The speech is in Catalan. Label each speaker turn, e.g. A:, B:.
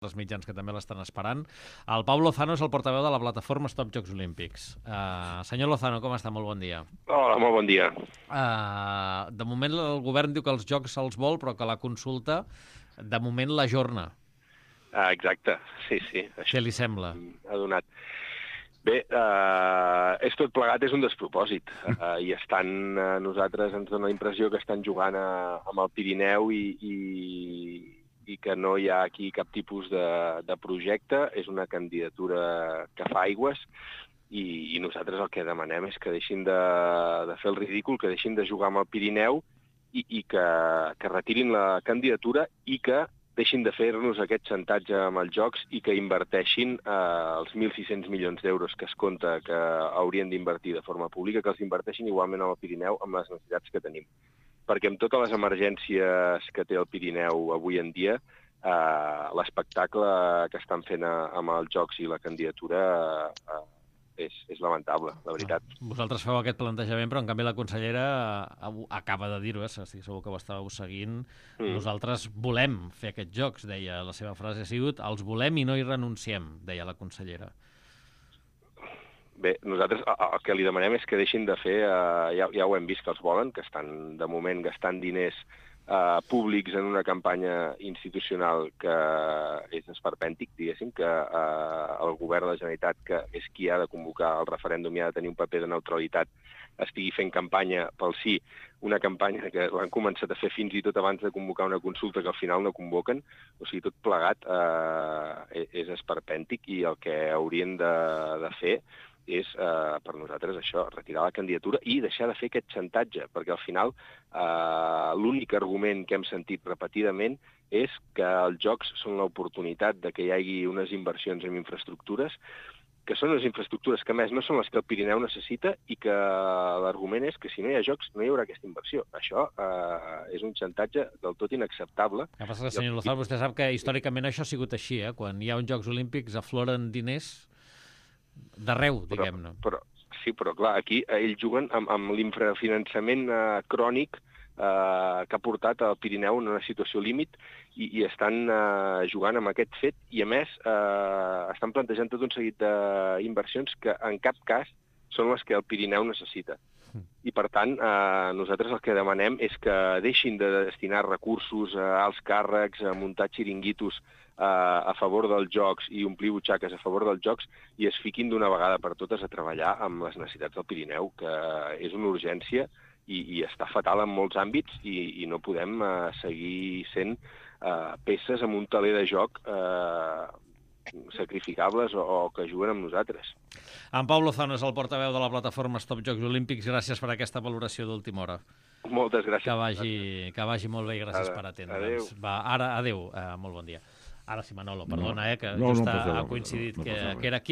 A: els mitjans que també l'estan esperant. El Pau Lozano és el portaveu de la plataforma Stop Jocs Olímpics. Senyor Lozano, com està? Molt bon dia.
B: Hola, molt bon dia.
A: De moment el govern diu que els jocs se'ls vol, però que la consulta, de moment, l'ajorna.
B: Exacte, sí.
A: Què li sembla?
B: Ha donat. Bé, és tot plegat, és un despropòsit. I nosaltres ens dona la impressió que estan jugant amb el Pirineu i que no hi ha aquí cap tipus de projecte. És una candidatura que fa aigües i nosaltres el que demanem és que deixin de fer el ridícul, que deixin de jugar amb el Pirineu i que retirin la candidatura i que deixin de fer-nos aquest xantatge amb els jocs i que inverteixin els 1.600 milions d'euros que es compta que haurien d'invertir de forma pública, que els inverteixin igualment al Pirineu amb les necessitats que tenim. Perquè amb totes les emergències que té el Pirineu avui en dia, l'espectacle que estan fent amb els jocs i la candidatura és lamentable, la veritat.
A: Vosaltres feu aquest plantejament, però en canvi la consellera acaba de dir-ho, estic segur que ho estàveu seguint. Nosaltres volem fer aquests jocs, deia. La seva frase ha sigut els volem i no hi renunciem, deia la consellera.
B: Bé, nosaltres el que li demanem és que deixin de fer, ja ho hem vist que els volen, que estan de moment gastant diners públics en una campanya institucional que és esperpèntic, diguéssim, que el govern de la Generalitat, que és qui ha de convocar el referèndum i ha de tenir un paper de neutralitat, estigui fent campanya pel sí, una campanya que l'han començat a fer fins i tot abans de convocar una consulta que al final no convoquen. O sigui, tot plegat és esperpèntic i el que haurien de fer és, per nosaltres, això, retirar la candidatura i deixar de fer aquest xantatge, perquè al final l'únic argument que hem sentit repetidament és que els jocs són l'oportunitat de que hi hagi unes inversions en infraestructures, que són unes infraestructures que, a més, no són les que el Pirineu necessita i que l'argument és que si no hi ha jocs no hi haurà aquesta inversió. Això és un xantatge del tot inacceptable.
A: El que passa que, senyor Lozano, vostè sap que històricament això ha sigut així, Quan hi ha uns Jocs Olímpics afloren diners d'arreu, diguem-ne.
B: Però clar, aquí ells juguen amb l'infrafinançament crònic que ha portat el Pirineu en una situació límit i estan jugant amb aquest fet i, a més, estan plantejant tot un seguit d'inversions que en cap cas són les que el Pirineu necessita. I, per tant, nosaltres el que demanem és que deixin de destinar recursos a alts càrrecs, a muntar xiringuitos a favor dels jocs i omplir butxaques a favor dels jocs i es fiquin d'una vegada per totes a treballar amb les necessitats del Pirineu, que és una urgència i està fatal en molts àmbits i no podem seguir sent peces amb un taler de joc sacrificables o que juguen amb nosaltres.
A: En Pau Lozano és el portaveu de la plataforma Stop Jocs Olímpics. Gràcies per aquesta valoració d'última hora.
B: Moltes gràcies.
A: Que vagi molt bé i gràcies per atendre'ns. Adéu, molt bon dia. Ara sí, Manolo, perdona, que just ha coincidit que era aquí.